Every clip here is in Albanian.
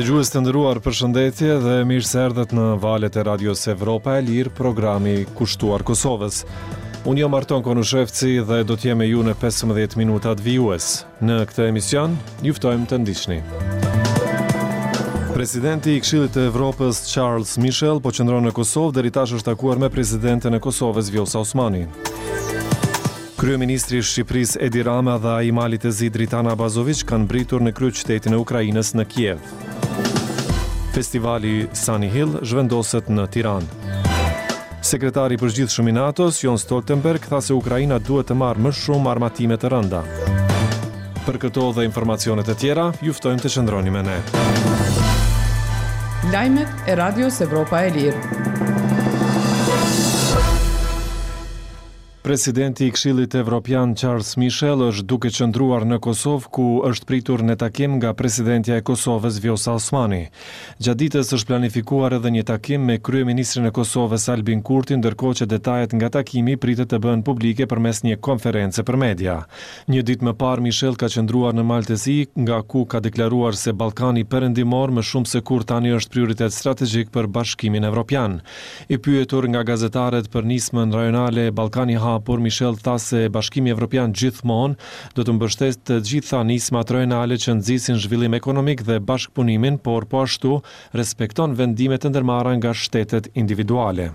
Dëgjues të nderuar, përshëndetje dhe mirë se erdhët në valët e Radios Evropa e Lirë, programi kushtuar Kosovës. Unë jam Arton Konushevci dhe do të jem me ju në 15 minutat vijues. Në këtë emision, ju ftojmë të ndiqni. Presidenti i Këshillit të Evropës Charles Michel po qëndron në Kosovë, deri tash është takuar me presidenten e Kosovës Vjosa Osmani. Kryeministri i Shqipërisë Edi Rama dhe ai i Malit të Zi Dritan Abazoviq kanë mbërritur në kryeqytetin e Ukrainës në Kiev. Festivali Sunny Hill zhvendoset në Tiranë. Sekretari i Përgjithshëm i NATO-s, Jens Stoltenberg, tha se Ukraina duhet të marrë më shumë armatime të rënda. Për këto dhe informacione të tjera, ju ftojmë të qëndroni me ne. Lajmet e Radios Evropa e Lirë. Presidenti i Këshillit Evropian Charles Michel është duke qëndruar në Kosovë ku është pritur në takim nga presidentja e Kosovës Vjosa Osmani. Gjatë ditës është planifikuar edhe një takim me kryeministrin e Kosovës Albin Kurti ndërkohë që detajet nga takimi pritet të bëhen publike përmes një konference për media. Një ditë më parë Michel ka qëndruar në Mal të Zi nga ku ka deklaruar se Ballkani Perëndimor më shumë se kurrë tani është prioritet strategjik për Bashkimin Evropian. I pyetur nga gazetarët për nismën rajonale Ballkani i Hapur, Michel tha se Bashkimi Evropian gjithmonë do të mbështesë të gjitha nismat rajonale që nxisin zhvillim ekonomik dhe bashkëpunimin, por po ashtu respekton vendimet e ndërmarra nga shtetet individuale.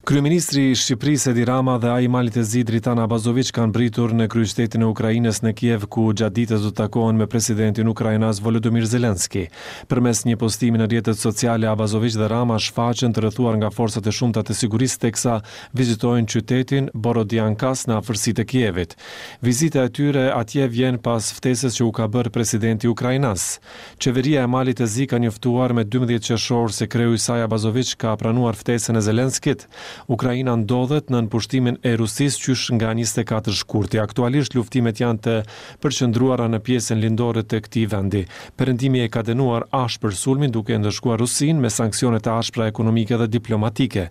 Kryeministri i Shqipërisë Edi Rama dhe ai i Malit të Zi Dritan Abazoviq kanë mbërritur në kryeqytetin e Ukrainës në Kiev ku gjatë ditës do të takohen me presidentin ukrainas Volodymyr Zelensky. Përmes një postimi në rrjetet sociale, Abazoviq dhe Rama shfaqen të rrethuar nga forcat e shumta të sigurisë teksa vizitojnë qytetin Borodiankas në afërsi të Kievit. Vizita e tyre atje vjen pas ftesës që u ka bërë presidenti ukrainas. Qeveria e Malit të Zi ka njoftuar me 12 qershor se kreu i saj Abazoviq ka pranuar ftesën e Zelenskit. Ukraina ndodhet nën pushtimin e Rusisë qysh nga 24 shkurti. Aktualisht luftimet janë të përqendruara në pjesën lindore të këtij vendi. Perëndimi e ka dënuar ashpër sulmin duke e ndëshkuar Rusinë me sanksione të ashpra ekonomike dhe diplomatike.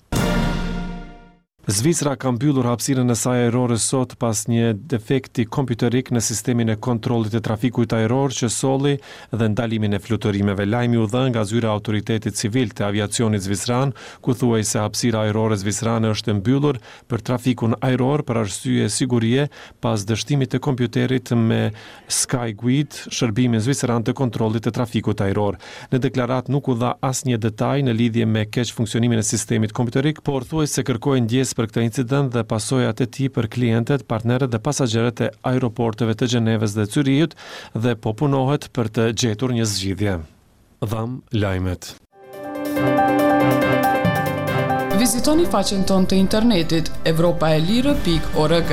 Zvicra ka mbyllur hapësirën e saj ajrore sot pas një defekti kompjuterik në sistemin e kontrollit të trafikut ajror që solli dhe ndalimin e fluturimeve. Lajmi u dha nga zyra e Autoritetit Civil të Aviacionit Zviceran, ku thuhej se hapësira ajrore zvicerane është e mbyllur për trafikun ajror për arsye sigurie pas dështimit të kompjuterit me Skyguide, shërbimin zviceran të kontrollit të trafikut ajror. Në deklaratë nuk u dha asnjë detaj në lidhje me keqfunksionimin e sistemit kompjuterik, por thuhej se kërkohej ndjesë për këtë incident dhe pasojat e tij për klientët, partnerët dhe pasagjerët e aeroporteve të Gjenevës dhe Cyrihut dhe po punohet për të gjetur një zgjidhje. Dhamë lajmet. Vizitoni faqen tonë të internetit evropaelire.org.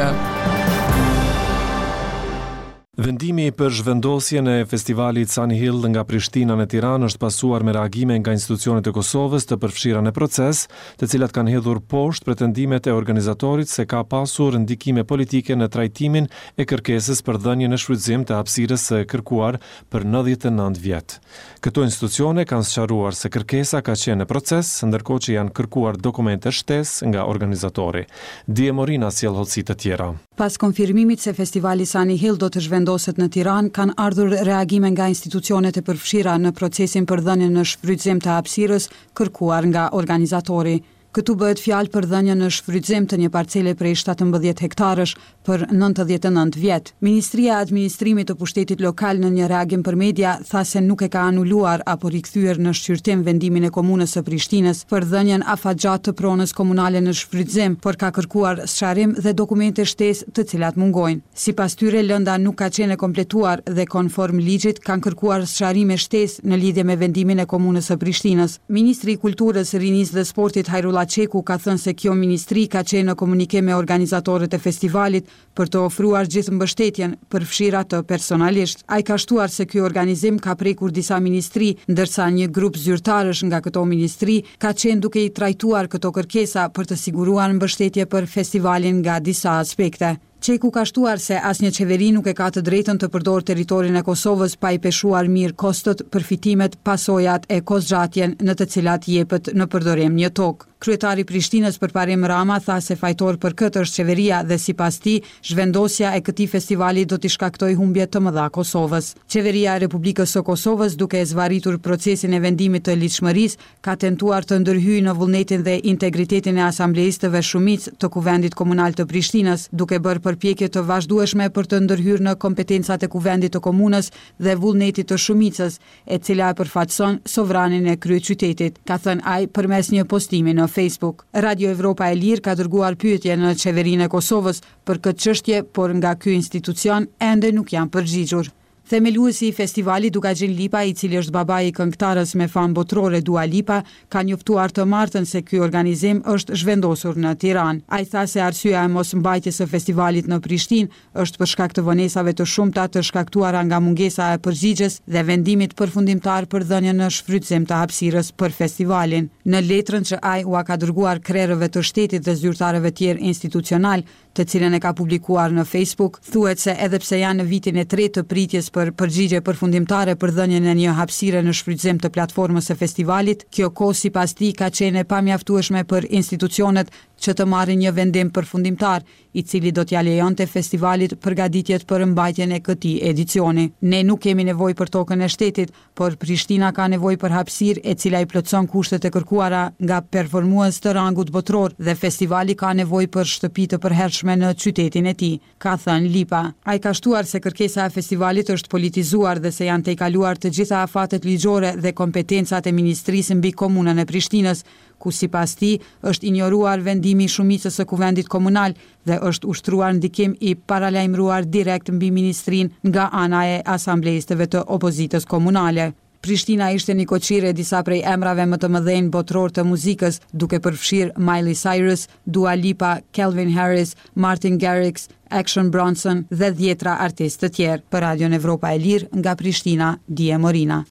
Vendimi për zhvendosjen e festivalit Sunny Hill nga Prishtina në Tiranë është pasuar me reagime nga institucionet e Kosovës të përfshira në proces, të cilat kanë hedhur poshtë pretendimet e organizatorit se ka pasur ndikime politike në trajtimin e kërkesës për dhënien në shfrytëzim të hapësirës së kërkuar për 99 vjet. Këto institucione kanë sqaruar se kërkesa ka qenë në proces, ndërkohë që janë kërkuar dokumente shtesë nga organizatori. Die Morina sjell hollësi të tjera. Pas konfirmimit se festivali Sunny Hill do të zhvendoset në Tiranë, kanë ardhur reagime nga institucionet e përfshira në procesin për dhënien në shfrytëzim të hapësirës kërkuar nga organizatori. Këtu bëhet fjalë për dhënien në shfrytëzim të një parcele prej 17 hektarësh për 99 vjet. Ministria e Administrimit të Pushtetit Lokal në një reagim për media tha se nuk e ka anuluar apo rikthyer në shqyrtim vendimin e Komunës së Prishtinës për dhënien afatgjatë të pronës komunale në shfrytëzim, por ka kërkuar sqarim dhe dokumente shtesë të cilat mungojnë. Sipas tyre, lënda nuk ka qenë e kompletuar dhe konform ligjit kanë kërkuar sqarime shtesë në lidhje me vendimin e Komunës së Prishtinës. Ministri i Kulturës, Rinisë dhe Sportit Hajrullah Çeku ka thënë se kjo ministri ka qenë në komunikim me organizatorët e festivalit për të ofruar gjithë mbështetjen, përfshirë atë personalisht. Ai ka shtuar se ky organizim ka prekur disa ministri, ndërsa një grup zyrtarësh nga këto ministri ka qenë duke i trajtuar këto kërkesa për të siguruar mbështetje për festivalin nga disa aspekte. Çeku ka shtuar se asnjë qeveri nuk e ka të drejtën të përdorë territorin e Kosovës pa i peshuar mirë kostot, përfitimet, pasojat e kohëzgjatjen në të cilat jepet në përdorim një tokë. Kryetari i Prishtinës Përparim Rama tha se fajtor për këtë është qeveria dhe sipas tij, zhvendosja e këtij festivali do t'i shkaktojë humbje të mëdha Kosovës. Qeveria e Republikës së Kosovës duke e zvarritur procesin e vendimit të ligjshmërisë, ka tentuar të ndërhyjë në vullnetin dhe integritetin e asambleistëve shumicë të Kuvendit Komunal të Prishtinës, duke bërë përpjekje të vazhdueshme për të ndërhyrë në kompetencat e Kuvendit të Komunës dhe vullnetit të shumicës, e cila e përfaqëson sovranin e kryeqytetit, ka thënë ai përmes një postimi në Facebook. Radio Evropa e Lirë ka dërguar pyetje në Qeverinë e Kosovës për këtë çështje, por nga ky institucion ende nuk janë përgjigjur. Themeluesi i festivalit, Dukagjin Lipa, i cili është babai i këngëtares me famë botërore Dua Lipa, ka njoftuar të martën se ky organizim është zhvendosur në Tiranë. Ai tha se arsyeja e mos mbajtjes së festivalit në Prishtinë është për shkak të vonesave të shumta të shkaktuara nga mungesa e përgjigjes dhe vendimit përfundimtar për dhënien në shfrytëzim të hapësirës për festivalin. Në letrën që ai ua ka dërguar krerëve të shtetit dhe zyrtarëve tjerë institucionalë, të cilën e ka publikuar në Facebook, thuhet se edhe pse janë në vitin e tretë të pritjes për përgjigje përfundimtare për dhënien e një hapësire në shfrytëzim të platformës së festivalit, kjo kohë sipas tij ka qenë e pamjaftueshme për institucionet që të marrin një vendim përfundimtar, i cili do t'ia lejonte festivalit përgatitjet për mbajtjen e këtij edicioni. Ne nuk kemi nevojë për tokën e shtetit, Por Prishtina ka nevojë për hapësirë e cila i plotëson kushtet e kërkuara nga performues të rangut botëror dhe festivali ka nevojë për shtëpi të përhershme në qytetin e tij, ka thënë Lipa. Ai ka shtuar se kërkesa e festivalit është politizuar dhe se janë tejkaluar të gjitha afatet ligjore dhe kompetencat e ministrisë mbi Komunën e Prishtinës, ku sipas tij është injoruar vendimi i shumicës së Kuvendit Komunal dhe është ushtruar ndikim i paralajmëruar direkt mbi ministrinë nga ana e asambleistëve të opozitës komunale. Prishtina ishte nikoqire e disa prej emrave më të mëdhenj botërorë të muzikës, duke përfshirë Miley Cyrus, Dua Lipa, Calvin Harris, Martin Garrix, Action Bronson dhe dhjetra artistë të tjerë. Për Radion Evropa e Lirë, nga Prishtina, Dije Morina.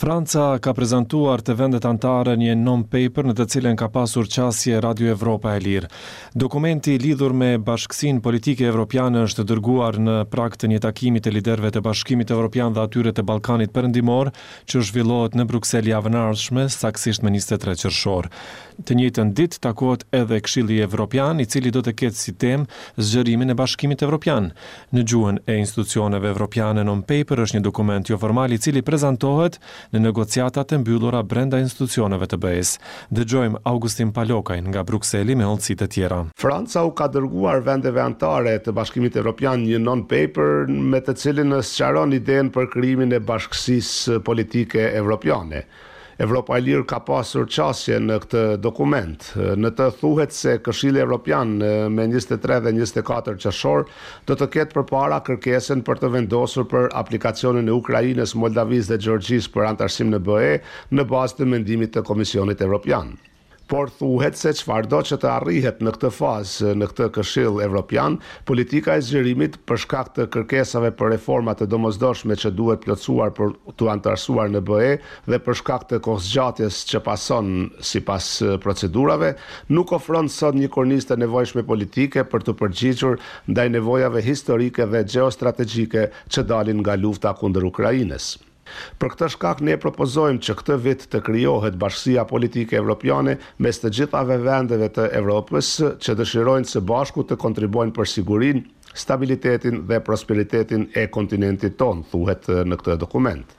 Franca ka prezantuar te vendet anëtare një non-paper në të cilën ka pasur qasje Radio Evropa e Lirë. Dokumenti lidhur me Bashkësinë Politike Evropiane është dërguar në prag të një takimi të liderëve të Bashkimit Evropian dhe atyre të Ballkanit Perëndimor, që zhvillohet në Bruksel javën e ardhshme, saktësisht më 23 qershor. Të njëjtën ditë takohet edhe Këshilli Evropian, i cili do të ketë si temë zgjerimin e Bashkimit Evropian. Në gjuhën e institucioneve evropiane non-paper është një dokument joformal i cili prezantohet në negociatat e mbyllura brenda institucioneve të BE-së. Dëgjojmë Augustin Palokajn nga Brukseli me hollësi të tjera. Franca u ka dërguar vendeve anëtare të Bashkimit Evropian një non-paper me të cilin sqaron idenë për krijimin e Bashkësisë Politike Evropiane. Evropa e Lirë ka pasur qasje në këtë dokument. Në të thuhet se Këshilli Evropian me 23 dhe 24 qershor do të ketë përpara kërkesën për të vendosur për aplikacionin e Ukrainës, Moldavisë dhe Gjeorgjisë për anëtarësim në BE në bazë të mendimit të Komisionit Evropian. Por thuhet se çfarëdo që të arrihet në këtë fazë në këtë Këshill Evropian, politika e zgjerimit, për shkak të kërkesave për reforma të domosdoshme që duhet plotësuar për t'u anëtarësuar në BE dhe për shkak të kohëzgjatjes që pason sipas procedurave, nuk ofron sot një kornizë të nevojshme politike për t'u përgjigjur ndaj nevojave historike dhe gjeostrategjike që dalin nga lufta kundër Ukrainës. Për këtë shkak ne propozojmë që këtë vit të krijohet Bashkësia Politike Evropiane mes të gjithave vendeve të Evropës që dëshirojnë së bashku të kontribuojnë për sigurinë, stabilitetin dhe prosperitetin e kontinentit tonë, thuhet në këtë dokument.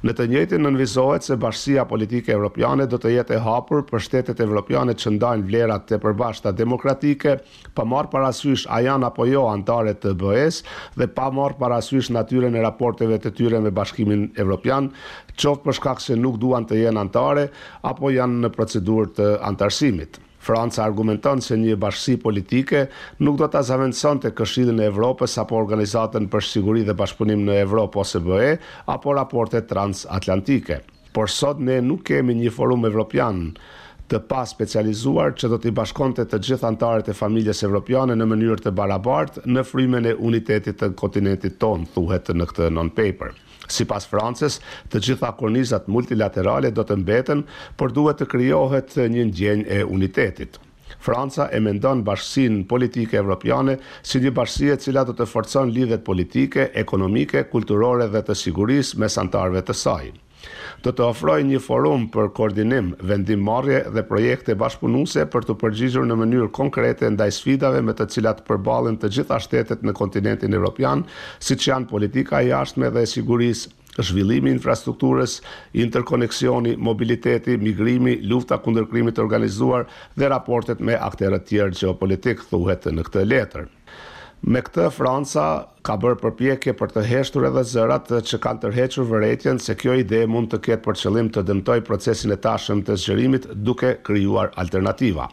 Në të njëjtin nënvizohet se Bashkësia Politike Evropiane do të jetë e hapur për shtetet evropiane që ndajnë vlerat e përbashkëta demokratike, pa marrë parasysh a janë apo jo anëtare të BE-së dhe pa marrë parasysh natyrën e raporteve të tyre me Bashkimin Evropian, qoftë për shkak se nuk duan të jenë anëtare apo janë në procedurë të anëtarësimit. Franca argumenton se një bashkësi politike nuk do ta zavendësonte Këshillin e Evropës apo Organizatën për Siguri dhe Bashkëpunim në Evropë, OSBE, apo raportet transatlantike. Por sot ne nuk kemi një forum evropian të paspecializuar që do t'i bashkonte të gjithë anëtarët e familjes evropiane në mënyrë të barabartë në frymën e unitetit të kontinentit tonë, thuhet në këtë non-paper. Sipas Francës, të gjitha kornizat multilaterale do të mbeten, por duhet të krijohet një ndjenjë e unitetit. Franca e mendon bashkësinë politike evropiane si një bashkësi e cila do të forcon lidhjet politike, ekonomike, kulturore dhe të sigurisë mes anëtarëve të saj. Do të ofrojë një forum për koordinim, vendimmarrje dhe projekte bashkëpunuese për t'u përgjigjur në mënyrë konkrete ndaj sfidave me të cilat përballen të gjitha shtetet në kontinentin evropian, siç janë politika e jashtme dhe e sigurisë, zhvillimi i infrastrukturës, interkoneksioni, mobiliteti, migrimi, lufta kundër krimit të organizuar dhe raportet me akterët tjerë gjeopolitikë, thuhet në këtë letër. Me këtë, Franca ka bërë përpjekje për të heshtur edhe zërat që kanë tërhequr vërejtjen se kjo ide mund të ketë për qëllim të dëmtojë procesin e tashëm të zgjerimit duke krijuar alternativa.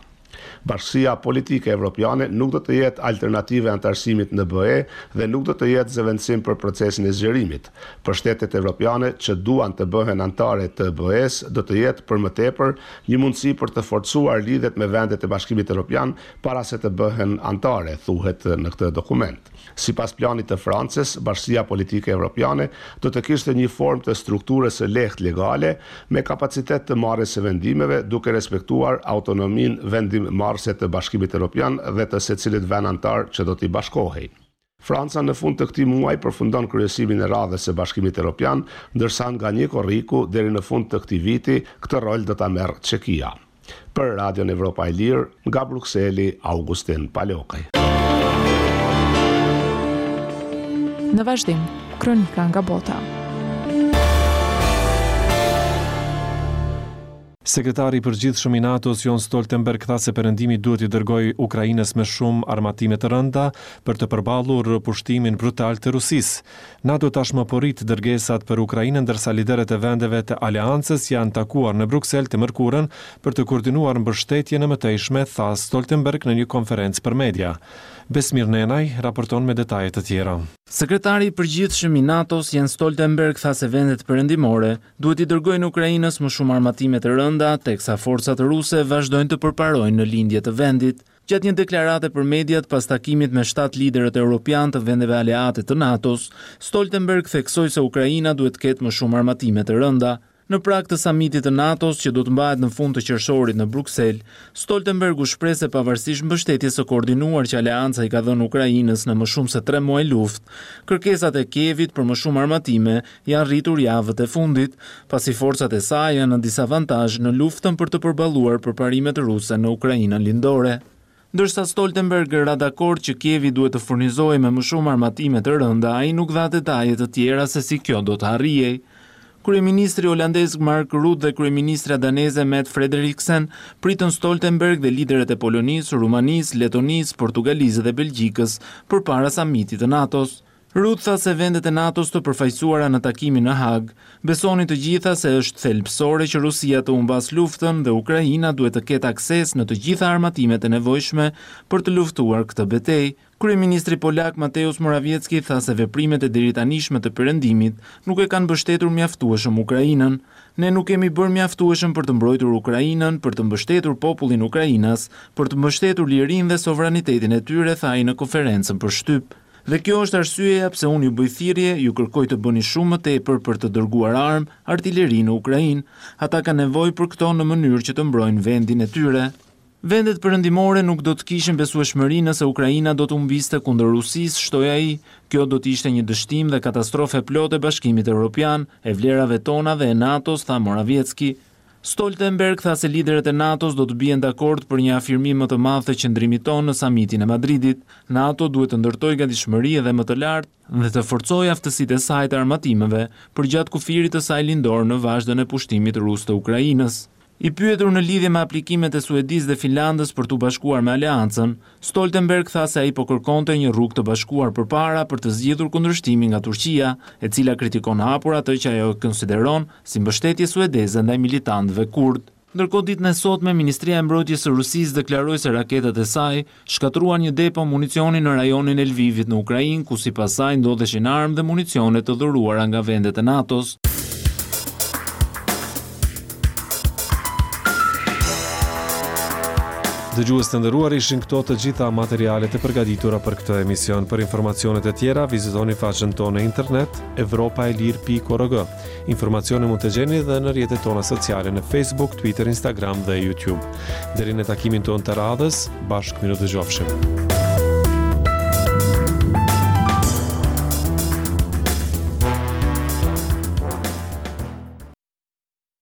Bashkësia politike evropiane nuk do të jetë alternativë e anëtarësimit në BE dhe nuk do të jetë zëvendësim për procesin e zgjerimit. Për shtetet evropiane që duan të bëhen anëtare të BE-së do të jetë, për më tepër, një mundësi për të forcuar lidhjet me vendet e Bashkimit Evropian para se të bëhen anëtare, thuhet në këtë dokument. Sipas planit të Francës, Bashkësia Politike Evropiane do të kishte një formë të strukturës së lehtë legale, me kapacitet të marrjes së vendimeve, duke respektuar autonominë vendimmarrëse të Bashkimit Evropian dhe të secilit vend anëtar që do t'i bashkohej. Franca në fund të këtij muaji përfundon kryesimin e radhës së Bashkimit Evropian, ndërsa nga 1 korriku deri në fund të këtij viti këtë rol do ta merr Çekia. Për Radion Evropa e Lirë, nga Brukseli, Augustin Palokaj. Në vazhdim, kronika nga bota. Sekretari i Përgjithshëm i NATO-s, Jens Stoltenberg tha se Perëndimi duhet t'i dërgojë Ukrainës më shumë armatime të rënda për të përballur pushtimin brutal të Rusisë. NATO tashmë po rrit dërgesat për Ukrainën ndërsa liderët e vendeve të aleancës janë takuar në Bruksel të mërkurën për të koordinuar mbështetjen e mëtejshme, tha Stoltenberg në një konferencë për media. Besmir Nenaj raporton me detaje të tjera. Sekretari i Përgjithshëm i NATO-s, Jens Stoltenberg tha se vendet perëndimore duhet t'i dërgojnë Ukrainës më shumë armatime të rënda, teksa forcat ruse vazhdojnë të përparojnë në lindje të vendit. Gjatë një deklarate për mediat pas takimit me shtatë liderët europianë të vendeve aleate të NATO-s, Stoltenberg theksoi se Ukraina duhet të ketë më shumë armatime të rënda. Në prag të samitit të NATO-s që do të mbahet në fund të qershorit në Bruksel, Stoltenberg u shpreh se pavarësisht mbështetjes së koordinuar që aleanca i ka dhënë Ukrainës në më shumë se tre muaj luftë, kërkesat e Kievit për më shumë armatime janë rritur javët e fundit, pasi forcat e saj janë në disavantazh në luftën për të përballuar përparimet ruse në Ukrainën lindore. Ndërsa Stoltenberg ra dakord që Kievi duhet të furnizohej me më shumë armatime të rënda, ai nuk dha detaje të tjera se si kjo do të arrihej. Kryeministri holandez Mark Rutte dhe kryeministrja daneze Mette Frederiksen pritën Stoltenberg dhe liderët e Polonisë, Rumanisë, Letonisë, Portugalisë dhe Belgjikës përpara samitit të NATO-s. Rutte tha se vendet e NATO-s të përfaqësuara në takimin në Hagë, besonin të gjitha se është thelbësore që Rusia të humbasë luftën dhe Ukraina duhet të ketë akses në të gjitha armatimet e nevojshme për të luftuar këtë betejë. Kryeministri polak Mateusz Morawiecki tha se veprimet e deritanishme të Perëndimit nuk e kanë mbështetur mjaftueshëm Ukrainën. Ne nuk kemi bërë mjaftueshëm për të mbrojtur Ukrainën, për të mbështetur popullin ukrainas, për të mbështetur lirinë dhe sovranitetin e tyre, tha ai në konferencën për shtyp. Dhe kjo është arsyeja pse unë ju bëj thirrje, ju kërkoj të bëni shumë më tepër për të dërguar armë, artileri në Ukrainë. Ata kanë nevojë për këto në mënyrë që të mbrojnë vendin e tyre. Vendet perëndimore nuk do të kishin besueshmëri nëse Ukraina do të humbiste kundër Rusisë, shtoi ai. Kjo do të ishte një dështim dhe katastrofë e plotë e Bashkimit Evropian, e vlerave tona dhe e NATO-s, tha Morawiecki. Stoltenberg tha se liderët e NATO-s do të bien dakord për një afirmim më të madh të qëndrimit tonë në samitin e Madridit. NATO duhet të ndërtojë gatishmëri edhe më të lartë dhe të forcojë aftësitë e saj të armatimeve përgjatë kufirit të saj lindor në vazhdën e pushtimit rus të Ukrainës. I pyetur në lidhje me aplikimet e Suedisë dhe Finlandës për t'u bashkuar me aleancën, Stoltenberg tha se ai po kërkonte një rrugë të bashkuar përpara për të zgjidhur kundërshtimin nga Turqia, e cila kritikon hapur atë që ajo e konsideron si mbështetje suedeze ndaj militantëve kurdë. Ndërkohë ditën e sotme, Ministria e Mbrojtjes së Rusisë deklaroi se raketat e saj shkatërruan një depo municioni në rajonin e Lvivit në Ukrainë, ku sipas saj ndodheshin armë dhe municione të dhuruara nga vendet e NATO-s. Dëgjues të nderuar ishin këto të gjitha materialet e përgatitura për këtë emision. Për informacionet e tjera vizitoni faqen tonë në internet evropaelire.org. Informacione mund të gjeni dhe në rrjetet tona sociale në Facebook, Twitter, Instagram dhe YouTube. Deri në takimin tonë të radhës, bashkë mirudëgjofshim.